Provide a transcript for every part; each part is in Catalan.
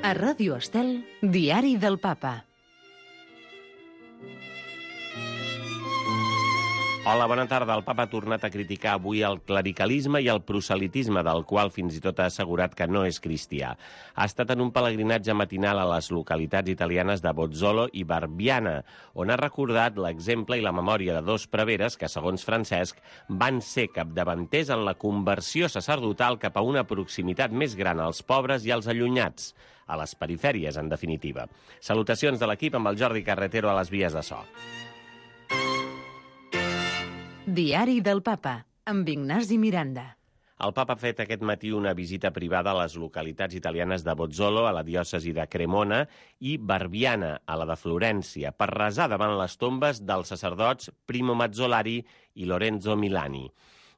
A Ràdio Estel, Diari del Papa. Hola, bona tarda. El papa ha tornat a criticar avui el clericalisme i el proselitisme, del qual fins i tot ha assegurat que no és cristià. Ha estat en un pelegrinatge matinal a les localitats italianes de Bozzolo i Barbiana, on ha recordat l'exemple i la memòria de dos preveres que, segons Francesc, van ser capdavanters en la conversió sacerdotal cap a una proximitat més gran als pobres i als allunyats, a les perifèries, en definitiva. Salutacions de l'equip amb el Jordi Carretero a les vies de so. Diari del Papa, amb Ignasi Miranda. El papa ha fet aquest matí una visita privada a les localitats italianes de Bozzolo, a la diòcesi de Cremona, i Barbiana, a la de Florència, per resar davant les tombes dels sacerdots Primo Mazzolari i Lorenzo Milani.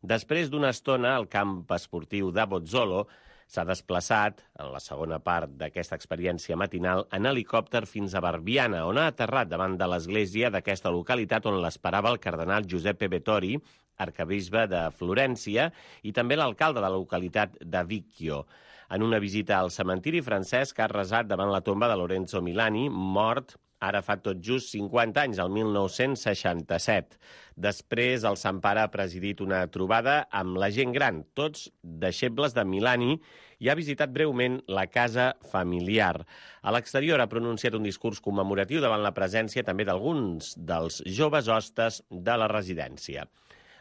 Després d'una estona, al camp esportiu de Bozzolo s'ha desplaçat, en la segona part d'aquesta experiència matinal, en helicòpter fins a Barbiana, on ha aterrat davant de l'església d'aquesta localitat on l'esperava el cardenal Giuseppe Vettori, arcabisbe de Florència, i també l'alcalde de la localitat de Vicchio. En una visita al cementiri, Francesc ha resat davant la tomba de Lorenzo Milani, mort ara fa tot just 50 anys, el 1967. Després, el Sant Pare ha presidit una trobada amb la gent gran, tots deixebles de Milani, i ha visitat breument la casa familiar. A l'exterior ha pronunciat un discurs commemoratiu davant la presència també d'alguns dels joves hostes de la residència.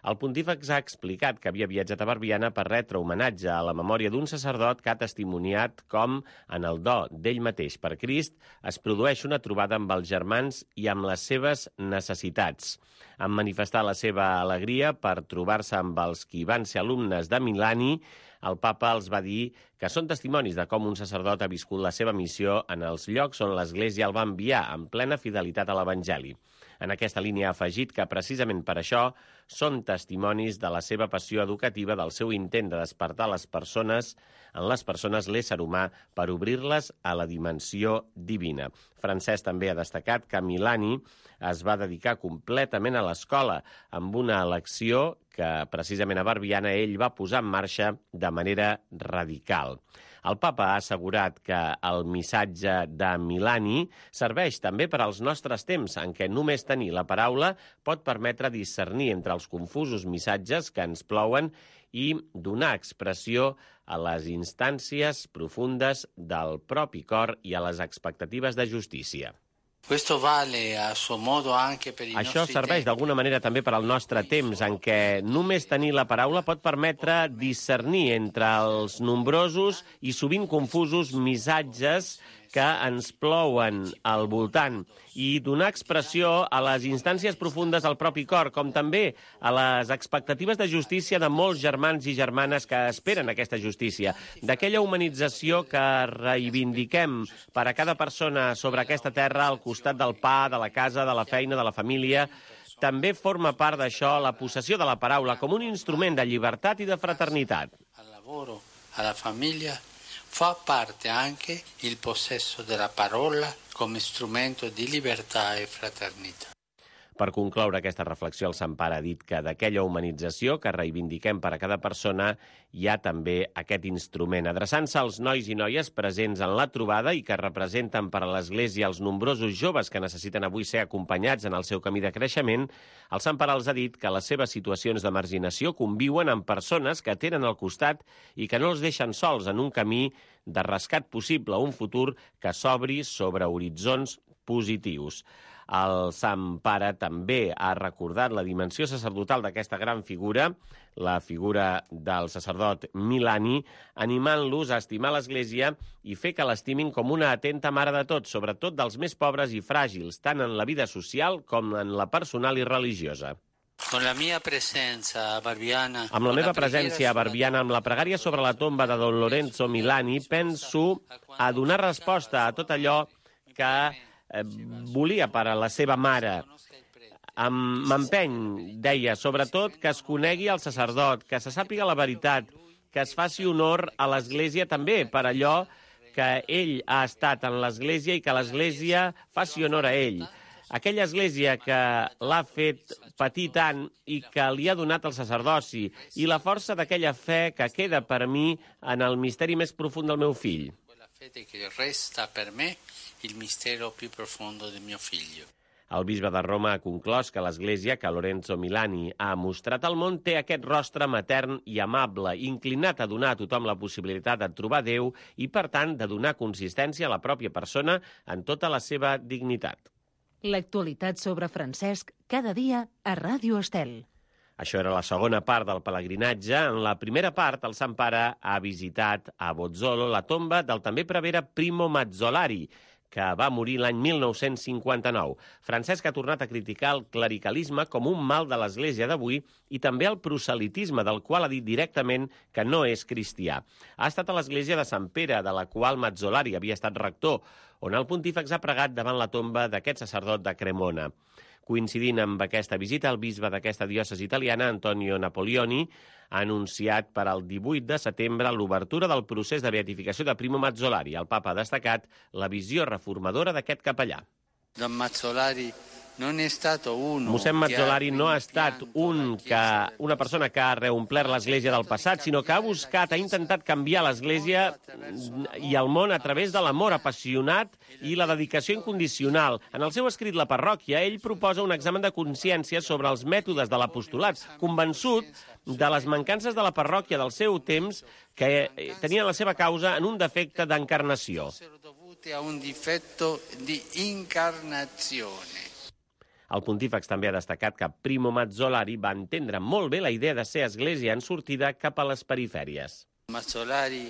El pontífex ha explicat que havia viatjat a Barbiana per retre homenatge a la memòria d'un sacerdot que ha testimoniat com, en el do d'ell mateix per Crist, es produeix una trobada amb els germans i amb les seves necessitats. En manifestar la seva alegria per trobar-se amb els qui van ser alumnes de Milani, el papa els va dir que són testimonis de com un sacerdot ha viscut la seva missió en els llocs on l'Església el va enviar, en plena fidelitat a l'Evangeli. En aquesta línia ha afegit que, precisament per això, són testimonis de la seva passió educativa, del seu intent de despertar en les persones l'ésser humà per obrir-les a la dimensió divina. Francesc també ha destacat que Milani es va dedicar completament a l'escola, amb una elecció que precisament a Barbiana ell va posar en marxa de manera radical. El papa ha assegurat que el missatge de Milani serveix també per als nostres temps, en què només tenir la paraula pot permetre discernir entre els confusos missatges que ens plouen i donar expressió a les instàncies profundes del propi cor i a les expectatives de justícia. Això serveix d'alguna manera també per al nostre temps, en què només tenir la paraula pot permetre discernir entre els nombrosos i sovint confusos missatges que ens plouen al voltant i donar expressió a les instàncies profundes del propi cor, com també a les expectatives de justícia de molts germans i germanes que esperen aquesta justícia, d'aquella humanització que reivindiquem per a cada persona sobre aquesta terra al costat del pa, de la casa, de la feina, de la família. També forma part d'això la possessió de la paraula com un instrument de llibertat i de fraternitat. Al lavoro, alla famiglia, fa parte anche il possesso della parola come strumento di libertà e fraternità. Per concloure aquesta reflexió, el Sant Pare ha dit que d'aquella humanització que reivindiquem per a cada persona hi ha també aquest instrument. Adreçant-se als nois i noies presents en la trobada i que representen per a l'Església els nombrosos joves que necessiten avui ser acompanyats en el seu camí de creixement, el Sant Pare els ha dit que les seves situacions de marginació conviuen amb persones que tenen al costat i que no els deixen sols en un camí de rescat possible, un futur que s'obri sobre horitzons positius. El Sant Pare també ha recordat la dimensió sacerdotal d'aquesta gran figura, la figura del sacerdot Milani, animant-los a estimar l'Església i fer que l'estimin com una atenta mare de tots, sobretot dels més pobres i fràgils, tant en la vida social com en la personal i religiosa. Amb la meva presència a Barbiana, amb la pregària sobre la tomba de Don Lorenzo Milani, penso a donar resposta a tot allò que volia per a la seva mare. M'empeny, deia, sobretot que es conegui el sacerdot, que se sàpiga la veritat, que es faci honor a l'Església també per allò que ell ha estat en l'Església i que l'Església faci honor a ell. Aquella Església que l'ha fet patir tant i que li ha donat el sacerdoci i la força d'aquella fe que queda per mi en el misteri més profund del meu fill. Fede che resta per me il mistero più profondo del mio figlio. El bisbe de Roma ha conclòs que l'Església que Lorenzo Milani ha mostrat al món té aquest rostre matern i amable, inclinat a donar a tothom la possibilitat de trobar Déu i, per tant, de donar consistència a la pròpia persona en tota la seva dignitat. L'actualitat sobre Francesc cada dia a Ràdio Estel. Això era la segona part del pelegrinatge. En la primera part, el Sant Pare ha visitat a Bozzolo la tomba del també prevere Primo Mazzolari, que va morir l'any 1959. Francesc ha tornat a criticar el clericalisme com un mal de l'Església d'avui i també el proselitisme, del qual ha dit directament que no és cristià. Ha estat a l'Església de Sant Pere, de la qual Mazzolari havia estat rector, on el pontífex ha pregat davant la tomba d'aquest sacerdot de Cremona. Coincidint amb aquesta visita, el bisbe d'aquesta diòcesi italiana, Antonio Napoleoni, ha anunciat per al 18 de setembre l'obertura del procés de beatificació de Primo Mazzolari. El papa ha destacat la visió reformadora d'aquest capellà. Don Mazzolari non è stato uno Mossèn Mazzolari no ha estat una persona que ha reomplert l'Església del passat, sinó que ha intentat canviar l'Església i el món a través de l'amor apassionat i la dedicació incondicional. En el seu escrit La parròquia, ell proposa un examen de consciència sobre els mètodes de l'apostolat, convençut de les mancances de la parròquia del seu temps que tenien la seva causa en un defecte d'encarnació. A un difetto di incarnazione. El pontífex també ha destacat que Primo Mazzolari va entendre molt bé la idea de ser església en sortida cap a les perifèries. Mazzolari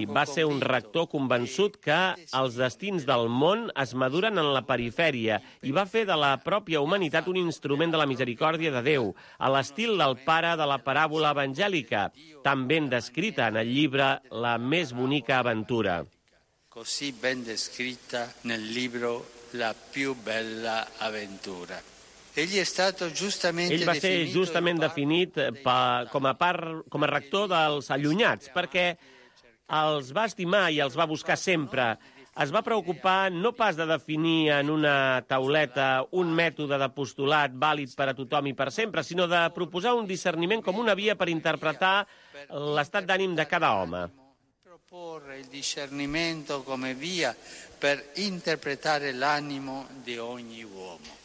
va ser un rector convençut que els destins del món es maduren en la perifèria i va fer de la pròpia humanitat un instrument de la misericòrdia de Déu, a l'estil del pare de la paràbola evangèlica, tan ben descrita en el llibre La més bonica aventura. Così ben descritta nel libro La più bella avventura. Ell va ser justament definit com a rector dels allunyats, perquè els va estimar i els va buscar sempre. Es va preocupar no pas de definir en una tauleta un mètode d'apostolat vàlid per a tothom i per sempre, sinó de proposar un discerniment com una via per interpretar l'estat d'ànim de cada home. Proporre il discernimento come via per interpretare l'animo di ogni uomo.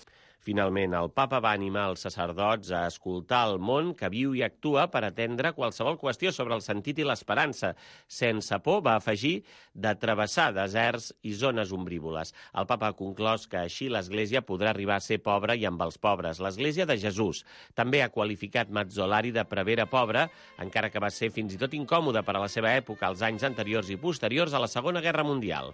Finalment, el papa va animar els sacerdots a escoltar el món que viu i actua per atendre qualsevol qüestió sobre el sentit i l'esperança. Sense por, va afegir, de travessar deserts i zones ombrívoles. El papa ha conclòs que així l'Església podrà arribar a ser pobra i amb els pobres, l'Església de Jesús. També ha qualificat Mazzolari de prevere pobre, encara que va ser fins i tot incòmode per a la seva època, als anys anteriors i posteriors a la Segona Guerra Mundial.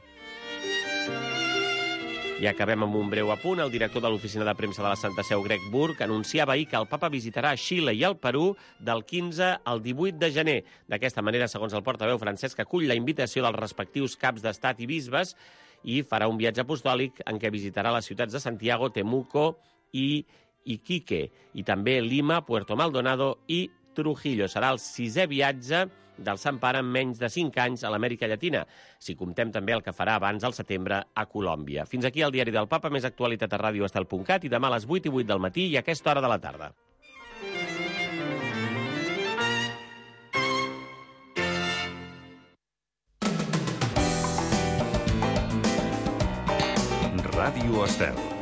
I acabem amb un breu apunt. El director de l'oficina de premsa de la Santa Seu, Greg Burke, anunciava ahir que el papa visitarà Xile i el Perú del 15 al 18 de gener. D'aquesta manera, segons el portaveu Francesc, acull la invitació dels respectius caps d'estat i bisbes i farà un viatge apostòlic en què visitarà les ciutats de Santiago, Temuco i Iquique, i també Lima, Puerto Maldonado i Trujillo. Serà el 6è viatge del Sant Pare en menys de 5 anys a l'Amèrica Llatina, si comptem també el que farà abans al setembre a Colòmbia. Fins aquí el Diari del Papa, més actualitat a radioestel.cat i demà a les 8:08 del matí i a aquesta hora de la tarda. Ràdio Estel.